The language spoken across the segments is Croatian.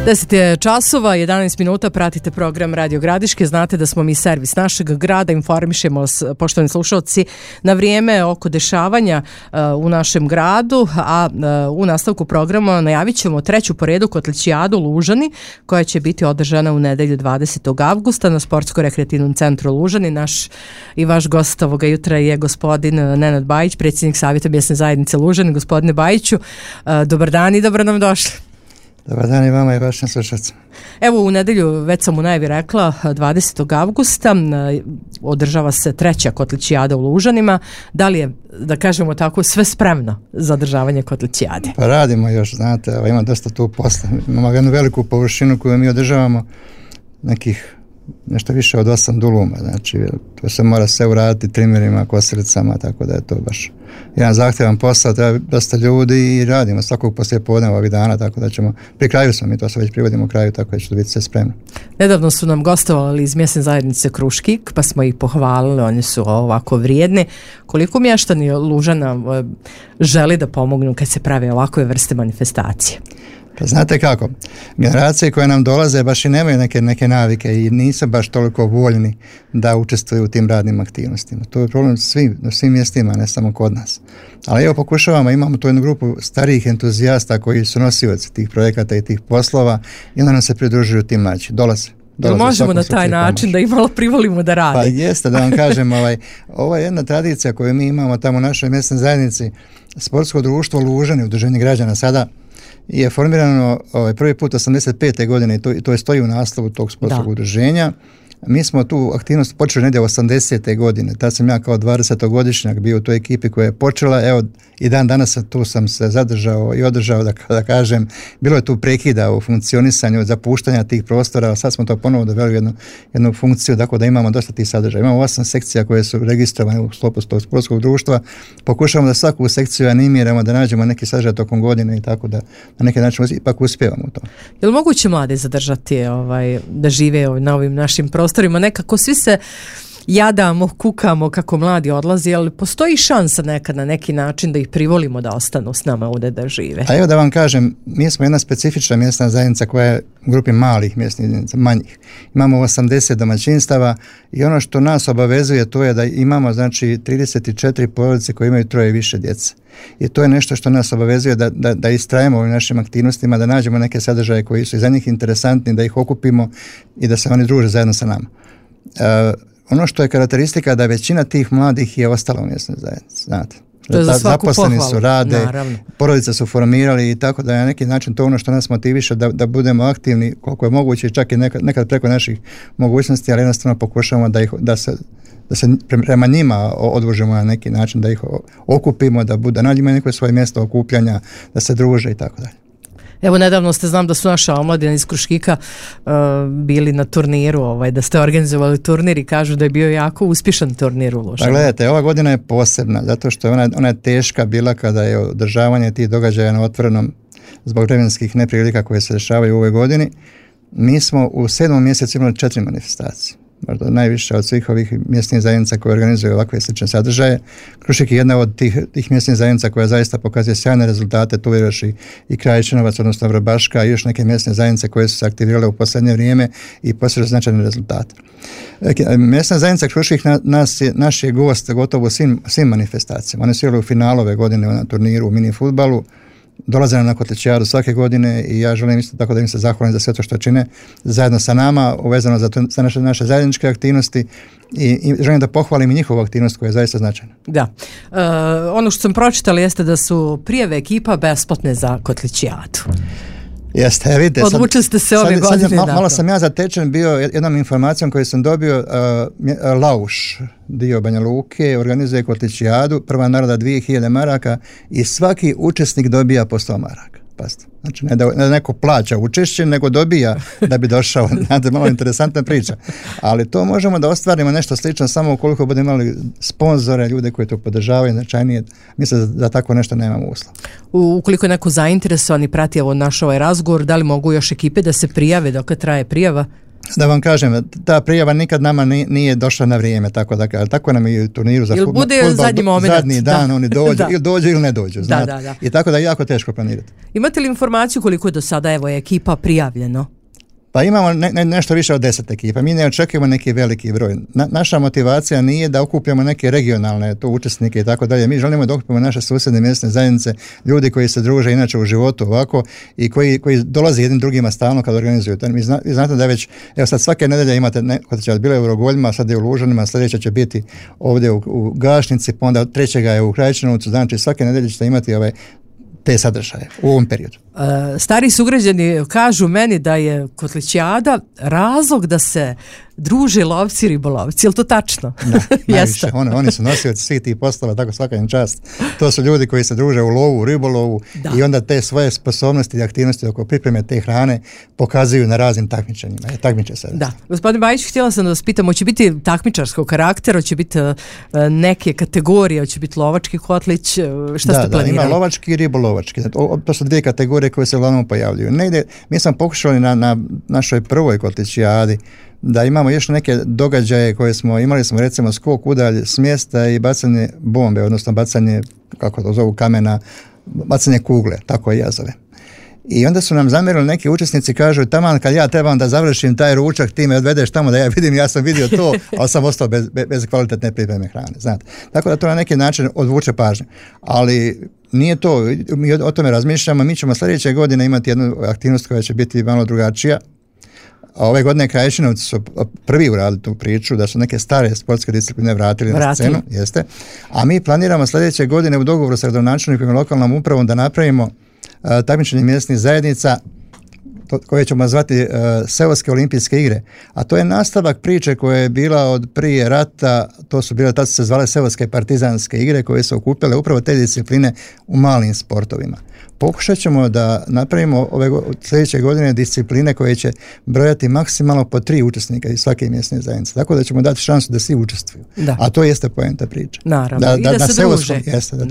10 je časova, 11 minuta, pratite program Radio Gradiške. Znate da smo mi servis našeg grada, informišemo vas, poštovani slušalci, na vrijeme oko dešavanja u našem gradu, a u nastavku programa najavit ćemo treću po redu kotlićijadu Lužani, koja će biti održana u nedelju 20. avgusta na Sportsko-rekreativnom centru Lužani. Naš i vaš gost ovoga jutra je gospodin Nenad Bajić, predsjednik Savjeta mjesne zajednice Lužani. Gospodine Bajiću, dobar dan i dobro nam došli. Dobar dan i vama i vašim slušalcima. Evo, u nedelju, već sam u najavi rekla, 20. avgusta održava se treća kotlićijada u Lužanima. Da li je, da kažemo tako, sve spremno za održavanje kotlićijade? Pa radimo još, znate, ima dosta tu posla. Imamo jednu veliku površinu koju mi održavamo, nekih nešto više od 8 duluma, znači to se mora sve uraditi trimerima, kosilicama, tako da je to baš jedan zahtjevan posao, treba dosta ljudi i radimo svakog poslijepodneva ovih dana, tako da ćemo, pri kraju smo, mi to se već privodimo kraju, tako da će to biti sve spremno. Nedavno su nam gostovali iz mjesne zajednice Kruškik, pa smo ih pohvalili, oni su ovako vrijedni. Koliko mještani Lužana želi da pomognu kad se prave ovakve vrste manifestacije? Pa znate kako, generacije koje nam dolaze baš i nemaju neke navike i nisu baš toliko voljni da učestvuju u tim radnim aktivnostima. To je problem na svim mjestima, ne samo kod nas. Ali evo pokušavamo, imamo tu jednu grupu starijih entuzijasta koji su nosioci tih projekata i tih poslova i onda nam se pridružuju tim mlađi. Dolaze. Možemo na taj način da ih malo privolimo da rade. Pa jeste, da vam kažem, ovo je jedna tradicija koju mi imamo tamo u našoj mjesnoj zajednici, sportsko društvo Lužani, udruženje građana sada, je formirano prvi put 85. godine i to je stoji u naslovu tog sportskog udruženja. Mi smo tu aktivnost počeli negdje 80. godine, tad sam ja kao 20-godišnjak bio u toj ekipi koja je počela, evo i dan danas tu sam se zadržao i održao, da kažem, bilo je tu prekida u funkcionisanju, zapuštanja tih prostora, a sad smo to ponovo doveli u jednu funkciju, tako da imamo dosta tih sadržaja. Imamo 8 sekcija koje su registrovane u sklopu tog sportskog društva, pokušavamo da svaku sekciju animiramo, da nađemo neki sadržaj tokom godine i tako da na neki način ipak uspijevamo u to. Je li moguće mlade zadržati da žive na ovim našim prostorima? Nekako svi se jadamo, kukamo kako mladi odlazi, ali postoji šansa nekad na neki način da ih privolimo da ostanu s nama ovdje da žive. A evo da vam kažem, mi smo jedna specifična mjesna zajednica koja je u grupi malih mjesnih zajednica, manjih. Imamo 80 domaćinstava i ono što nas obavezuje to je da imamo znači 34 porodice koje imaju 3 i više djece. I to je nešto što nas obavezuje da istrajemo u našim aktivnostima, da nađemo neke sadržaje koji su i za njih interesantni, da ih okupimo i da se oni druže zajedno sa nama. Ono što je karakteristika da većina tih mladih je ostala u mjesnoj zajednici, znate. To je za svaku zaposleni pohvalu. Su, rade, naravno. Porodice su formirali i tako da je na neki način to ono što nas motiviše da budemo aktivni koliko je moguće, čak i nekad preko naših mogućnosti, ali jednostavno pokušamo da se prema njima odvužemo na neki način, da ih okupimo, da nađemo neko svoje mjesto okupljanja, da se druže i tako dalje. Evo, nedavno znam da su naša omladina iz Kruškika bili na turniru, da ste organizovali turnir i kažu da je bio jako uspješan turnir u Lužanu. Pa gledajte, ova godina je posebna, zato što ona je teška bila kada je održavanje tih događaja na otvorenom zbog vremenskih neprilika koje se dešavaju u ovoj godini. Mi smo u 7. mjesecu imali 4 manifestacije. Možda najviše od svih ovih mjesnih zajednica koje organizuju ovakve slične sadržaje. Krušik je jedna od tih mjesnih zajednica koja zaista pokazuje sjajne rezultate, tu je još i Krajičinovac, odnosno Vrbaška i još neke mjesne zajednice koje su se aktivirale u posljednje vrijeme i postižu značajne rezultate. Mjesna zajednica Krušik naš je gost gotovo svim manifestacijama. Oni su igrali u finalu ove godine na turniru u mini fudbalu. Dolaze na kotlićijadu svake godine i ja želim isto tako da im se zahvalim za sve to što čine zajedno sa nama, uvezano za naše zajedničke aktivnosti i želim da pohvalim i njihovu aktivnost koja je zaista značajna. Da. Ono što sam pročitala jeste da su prijave ekipa besplatne za kotlićijadu. Jeste, vidite. Odlučili ste se ove godine. Malo sam ja zatečen bio jednom informacijom koju sam dobio. Lauš, dio Banja Luke, organizuje kotlićijadu, prva nagrada 2000 maraka i svaki učesnik dobija po 100 maraka. Pazite. Znači ne da neko plaća učešće, nego dobija da bi došao. Znate, malo interesantna priča. Ali to možemo da ostvarimo nešto slično samo ukoliko budemo imali sponzore, ljude koji to podržavaju, značajnije. Mislim da tako nešto nemamo uslov. Ukoliko je neko zainteresovan i prati naš ovaj razgovor, da li mogu još ekipe da se prijave dok traje prijava? Da vam kažem, ta prijava nikad nama nije došla na vrijeme, tako nam je u turniru za fudbal. Zadnji dan oni dođu, ili dođu ili ne dođu. Da. I tako da je jako teško planirati. Imate li informaciju koliko je do sada ekipa prijavljeno? Pa imamo nešto više od 10 ekipa. Mi ne očekujemo neki veliki broj. Naša motivacija nije da okupljamo neke regionalne učesnike i tako dalje. Mi želimo da okupimo naše susjedne mjesne zajednice, ljudi koji se druže inače u životu ovako i koji dolaze jednim drugima stalno kad organizuju. Vi znate da već, evo sad svake nedelje imate, kod će bilo je u Rogoljima, sad je u Lužanima, sljedeća će biti ovdje u Gašnici, pa onda trećega je u Krajčinovcu, znači svake nedelje ćete imati te sadržaje u ovom periodu. Stari sugrađani kažu meni da je Kotlićijada razlog da se druže lovci i ribolovci. Je li to tačno? Da, najviše. Oni su nosioci svih tih poslova, tako svaka im čast. To su ljudi koji se druže u lovu, u ribolovu i onda te svoje sposobnosti i aktivnosti oko pripreme te hrane pokazuju na raznim takmičenjima. Takmiče se. Da. Gospodin Bajić, htjela sam da vas pitam, hoće biti takmičarskog karaktera, hoće biti neke kategorije, hoće biti lovački kotlić, šta ste planirali? Da, ima lovački i ribolovački. To su dvije kategorije koje se uglavnom pojavljuju. Mi smo pokušali na našoj prvoj Kotlićijadi da imamo još neke događaje koje imali smo recimo skok udalj s mjesta i bacanje bombe, odnosno bacanje, kako to zovu, kamena, bacanje kugle, tako i ja zove. I onda su nam zamjerili neki učesnici, kažu taman kad ja trebam da završim taj ručak, ti me odvedeš tamo da ja vidim, ja sam vidio to, ali sam ostao bez kvalitetne pripreme hrane, znate. Tako da to na neki način odvuče pažnju. Ali nije to, mi o tome razmišljamo, mi ćemo sljedeće godine imati jednu aktivnost koja će biti malo drugačija. A ove godine Krajišinovci su prvi uradili tu priču, da su neke stare sportske discipline vratili na scenu, jeste. A mi planiramo sljedeće godine u dogovoru sa gradonačelnikom i lokalnom upravom da napravimo takmičenje mjesnih zajednica koje ćemo zvati Seoske olimpijske igre. A to je nastavak priče koja je bila od prije rata, tad su se zvale Seoske partizanske igre koje su okupile upravo te discipline u malim sportovima. Pokušat ćemo da napravimo sljedeće godine discipline koje će brojati maksimalno po 3 učesnika iz svake mjesne zajednice. Tako da ćemo dati šansu da svi učestvuju. Da. A to jeste poenta priče. Naravno. Da se druže.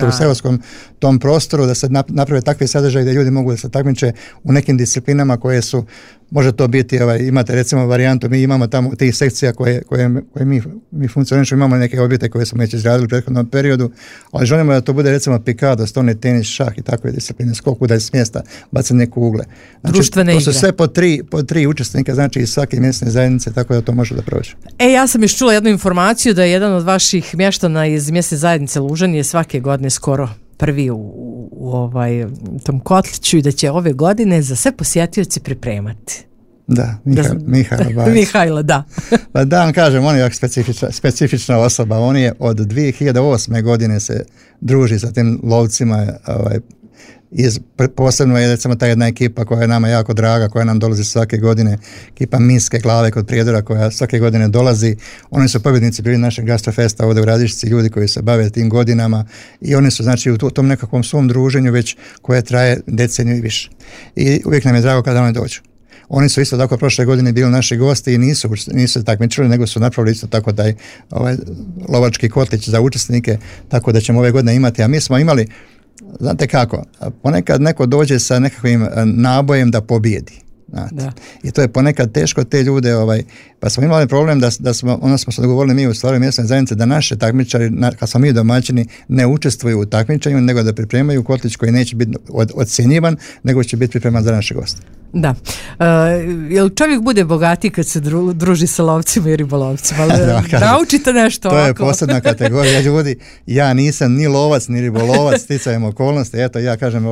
U seoskom tom prostoru da se naprave takve sadržaje da ljudi mogu da se takmiče u nekim disciplinama koje su, može to biti, imate recimo varijantu, mi imamo tamo tih sekcija koje mi funkcionišemo, imamo neke objekte koje smo već izradili u prethodnom periodu, ali želimo da to bude recimo pikado, stolni tenis, šah i takve discipline, skok udalj s mjesta, bacanje kugle. Znači, društvene igre. To su sve po tri učesnika, znači iz svake mjesne zajednice, tako da to može da prođe. Ja sam još čula jednu informaciju da je jedan od vaših mještana iz mjesne zajednice Lužani je svake godine skoro prvi u tom kotliću i da će ove godine za sve posjetioci pripremati. Da, Mihajlo, da. Pa da vam kažem, on je specifična osoba, on je od 2008. godine se druži sa tim lovcima, posebno je recimo ta jedna ekipa koja je nama jako draga, koja nam dolazi svake godine, ekipa Minske glave kod Prijedora koja svake godine dolazi. Oni su pobjednici bili našeg gastrofesta ovdje u Radišci, ljudi koji se bave tim godinama i oni su znači u tom nekakvom svom druženju već koje traje deceniju i više. I uvijek nam je drago kada oni dođu. Oni su isto tako prošle godine bili naši gosti i nisu takmičili, nego su napravili isto tako taj lovački kotlić za učesnike, tako da ćemo ove godine imati. A mi smo imali, znate kako, ponekad neko dođe sa nekakvim nabojem da pobjedi. Da. I to je ponekad teško te ljude, pa smo imali problem da smo se dogovorili mi u stvari mjesne zajednice da naše takmičari, kad smo mi domaćini, ne učestvuju u takmičenju, nego da pripremaju kotlić koji neće biti ocjenjivan, nego će biti pripreman za naše goste. Da. Jel čovjek bude bogatiji kad se druži sa lovcima i ribolovcima? Naučite nešto to ovako. To je posebna kategorija ljudi. Ja nisam ni lovac, ni ribolovac, sticajem okolnosti. Eto, ja kažem,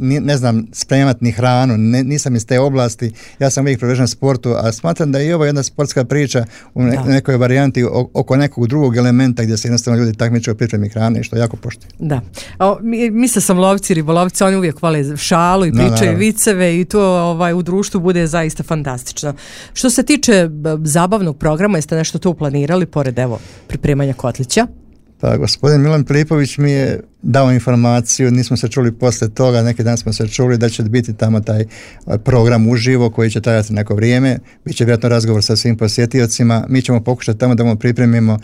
ne znam spremat ni hranu, nisam iz te oblasti. Ja sam uvijek privržen sportu, a smatram da je i ovo jedna sportska priča u nekoj varijanti oko nekog drugog elementa gdje se jednostavno ljudi takmiče u pripremi hrane, što jako poštuju. Da. Mislio sam lovci i ribolovci, oni uvijek hvale šalu i pričaju viceve i to u društvu bude zaista fantastično. Što se tiče zabavnog programa, jeste nešto tu planirali pored pripremanja kotlića? Pa gospodin Milan Filipović mi je dao informaciju, nismo se čuli poslije toga, neki dan smo se čuli da će biti tamo taj program uživo koji će trajati neko vrijeme, bit će vjerojatno razgovor sa svim posjetiocima, mi ćemo pokušati tamo da mu pripremimo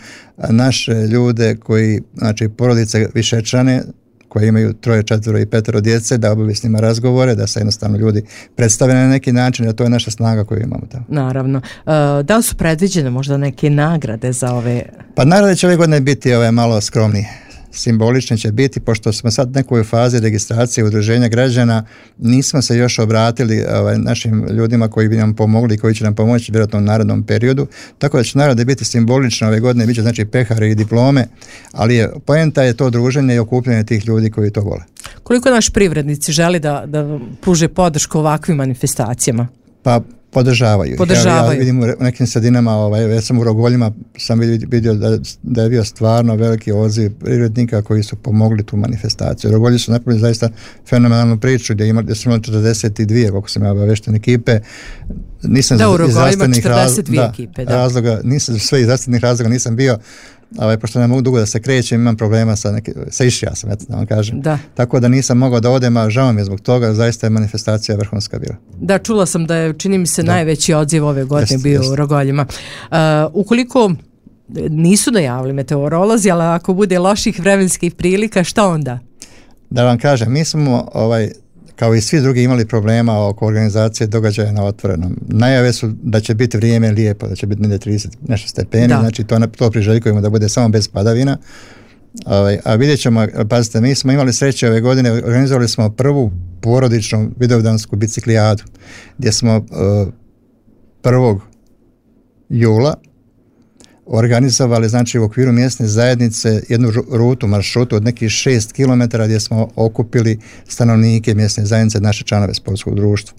naše ljude koji, znači porodice višečane, koji imaju 3, 4 i 5 djece, da obavi s njima razgovore, da se jednostavno ljudi predstave na neki način, da to je naša snaga koju imamo tamo. Naravno. Da li su predviđene možda neke nagrade za ove? Pa nagrade će ove godine biti malo skromnije. Simbolični će biti, pošto smo sad u nekoj fazi registracije udruženja građana, nismo se još obratili našim ljudima koji bi nam pomogli i koji će nam pomoći vjerojatno u narednom periodu, tako da će nagrade biti simbolične ove godine, bit će znači pehare i diplome, ali poenta je to druženje i okupljanje tih ljudi koji to vole. Koliko naši privrednici želi da pruže podršku ovakvim manifestacijama? Pa podržavaju. Ja vidim u nekim sredinama, već sam u Rogoljima, sam vidio da je bio stvarno veliki odziv privrednika koji su pomogli tu manifestaciju. Rogolji su napravili zaista fenomenalnu priču gdje su imali 42, koliko sam ja obavešten, ekipe. Nisam da, u Rogoljima 42 ekipe. Razloga, sve iz zdravstvenih razloga nisam bio, pošto ne mogu dugo da se krećem, imam problema sa išija sam, da vam kažem. Da. Tako da nisam mogao da odem, a žao mi je zbog toga, zaista je manifestacija vrhunska bila. Da, čula sam da je, čini mi se, najveći odziv ove godine bio u Rogoljima. Ukoliko nisu najavili meteorolozi, ali ako bude loših vremenskih prilika, šta onda? Da vam kažem, mi smo kao i svi drugi imali problema oko organizacije događaja na otvorenom. Najave su da će biti vrijeme lijepo, da će biti 30 nešto stepeni, znači to priželjkujemo da bude samo bez padavina. A vidjet ćemo, pazite, mi smo imali sreće ove godine, organizovali smo prvu porodičnu vidovdansku biciklijadu, gdje smo 1. jula organizovali, znači u okviru mjesne zajednice jednu maršrutu od nekih 6 km gdje smo okupili stanovnike mjesne zajednice, naše članove sportskog društva.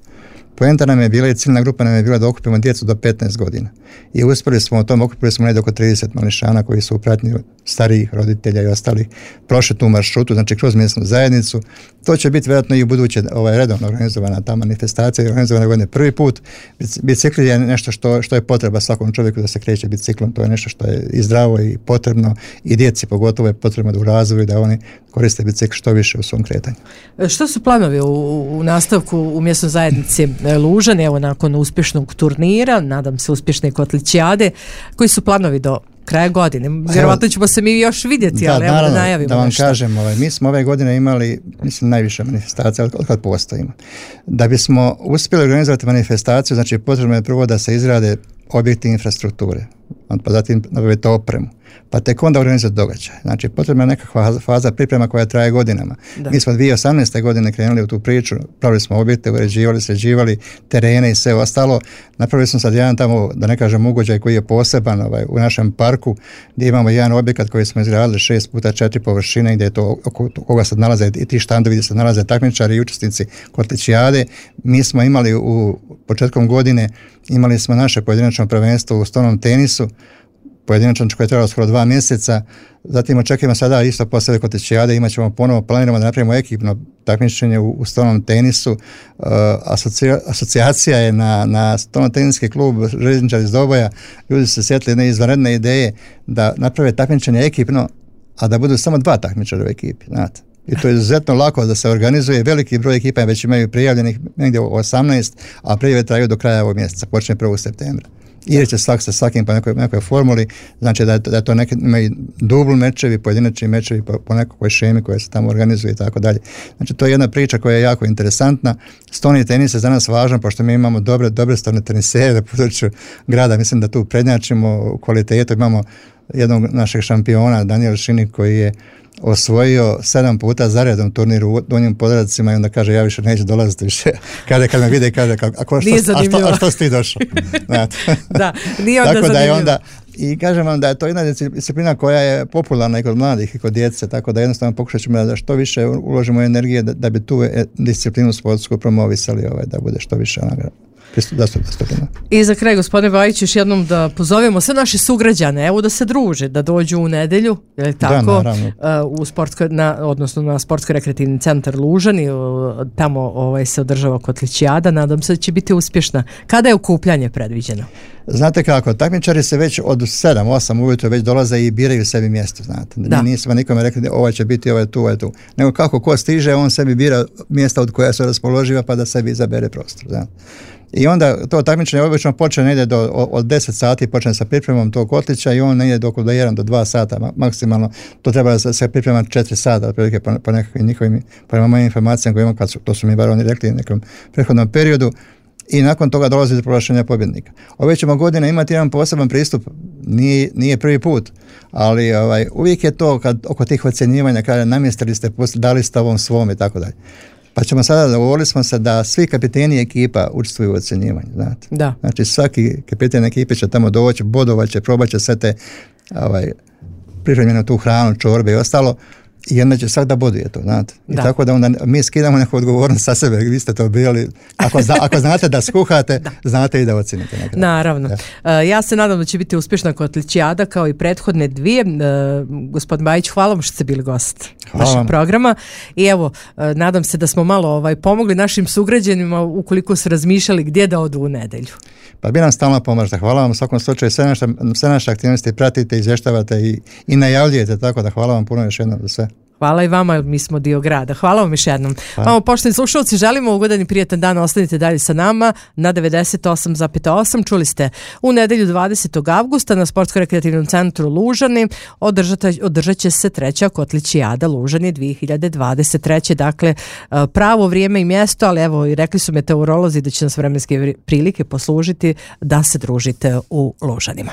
Poenta nam je bila i ciljna grupa nam je bila da okupimo djecu do 15 godina. I uspjeli smo u tom, okupili smo negdje oko 30 mališana koji su u pratnji starijih roditelja i ostali prošli tu maršrutu, znači kroz mjesnu zajednicu. To će biti vjerojatno i u buduće redovno organizovana ta manifestacija, organizovana godine prvi put. Bicikl je nešto što je potreba svakom čovjeku da se kreće biciklom, to je nešto što je i zdravo i potrebno i djeci pogotovo je potrebno da u razvoju da oni koriste bicikl što više u svom kretanju. Što su planovi u nastavku u mjesnoj zajednici Lužani, evo nakon uspješnog turnira, nadam se uspješne kotlićijade, koji su planovi do kraja godine? Vjerovatno ćemo se mi još vidjeti, ali evo da najavimo da vam nešto. Kažem, mi smo ove godine imali, mislim, najviše manifestacija od kad postojimo. Da bismo uspjeli organizovati manifestaciju, znači potrebno je prvo da se izrade objekti infrastrukture, pa zatim nabaviti opremu, pa tek onda organizati događaj. Znači potrebna je nekakva faza priprema koja traje godinama. Da. Mi smo 2018. godine krenuli u tu priču, pravili smo objekte, uređivali, sređivali terene i sve ostalo. Napravili smo sad jedan tamo, da ne kažem, ugođaj koji je poseban u našem parku, gdje imamo jedan objekat koji smo izgradili 6x4 površine, gdje je to oko koga sad nalaze i ti štandovi gdje se nalaze takmičari i učesnici kotlićijade. Mi smo imali početkom godine imali smo naše pojedinačno prvenstvo u stolnom tenisu, pojedinačno koje je trebalo skoro 2 mjeseca, zatim očekujemo sada isto poslije kotlićijade, imat ćemo ponovo, planiramo da napravimo ekipno takmičenje u stolnom tenisu. Asocijacija je na stolno teniski klub Željezničari iz Doboja, ljudi su se sjetili jedne izvanredne ideje da naprave takmičenje ekipno, a da budu samo 2 takmičara u ekipi, znate. I to je izuzetno lako da se organizuje, veliki broj ekipa već imaju prijavljenih negdje 18, a prijave traju do kraja ovog mjeseca, počne 1. septembra. I će sa svakim po nekoj formuli, znači da to imaju dubl mečevi, pojedinačni mečevi po nekoj šemi koja se tamo organizuje i tako dalje. Znači to je jedna priča koja je jako interesantna. Stolni tenis je za nas važan, pošto mi imamo dobre stolne tenisere na području grada, mislim da tu prednjačimo u kvalitetu. Imamo jednog našeg šampiona, Daniel Šinik, koji je osvojio 7 puta zaredom turnir u Donjim Podravcima i onda kaže ja više neću dolaziti više. Kad me vide kaže a što si ti došao? Da, nije onda tako zanimljivo. Da je onda, i kažem vam da je to jedna disciplina koja je popularna i kod mladih i kod djece, tako da jednostavno pokušat ćemo da što više uložimo energije da bi tu disciplinu sportsku promovisali, da bude što više onoga. I za kraj, gospodine Bajić, još jednom da pozovemo sve naše sugrađane, evo da se druže, da dođu u nedjelju, je tako, odnosno na sportsko-rekreativni centar Lužani, tamo se održava kotlićijada, nadam se da će biti uspješna. Kada je okupljanje predviđeno? Znate kako, takmičari se već od 7-8 ujutro već dolaze i biraju sebi mjesto, znate. Da. Nismo nikome rekli ovaj će biti, ovaj tu. Nego kako ko stiže, on sebi bira mjesta od koja su raspoloživa pa da sebi izabere prostor, znate. I onda to takmičenje obično počne negdje od 10 sati, počne sa pripremom tog kotlića i on negdje do 1 do 2 sata maksimalno. To treba da se priprema 4 sata, otprilike po nekakvim njihovim, prema mojim informacijama koje imam, to su mi bar oni rekli u nekom prethodnom periodu. I nakon toga dolazi do proglašenja pobjednika. Ove ćemo godine imati jedan poseban pristup, nije prvi put, ali uvijek je to kad oko tih ocjenjivanja kada namjestili ste, dali ste ovom svom i tako dalje. Pa ćemo sada, dogovorili smo se da svi kapiteni ekipa učestvuju u ocjenjivanju, znate. Da. Znači svaki kapiten ekipe će tamo doći, bodovat će, probat će sve te pripremljenu tu hranu, čorbe i ostalo, i onda će svak da boduje to, znate. I tako da onda mi skidamo neku odgovornost sa sebe, vi ste to bili, ako znate da skuhate, znate i da ocenite. Naravno. Ja se nadam da će biti uspješna kotlićijada kao i prethodne dvije. Gospodin Bajić, hvala vam što ste bili gost našeg programa i evo, nadam se da smo malo pomogli našim sugrađanima ukoliko su razmišljali gdje da odu u nedelju. Pa bi nam stalno pomažete. Hvala vam u svakom slučaju, sve naše aktivnosti pratite, izvještavate i najavljujete, tako da hvala vam puno još jednom za sve. Hvala i vama, mi smo dio grada. Hvala vam još jednom. Vama, poštovani slušalci, želimo ugodan i prijatan dan, ostanite dalje sa nama na 98,8. Čuli ste u nedelju 20. avgusta na Sportsko-rekreativnom centru Lužani održat će se 3. kotlićijada Lužani 2023. Dakle, pravo vrijeme i mjesto, ali evo i rekli su meteorolozi da će nas vremenske prilike poslužiti da se družite u Lužanima.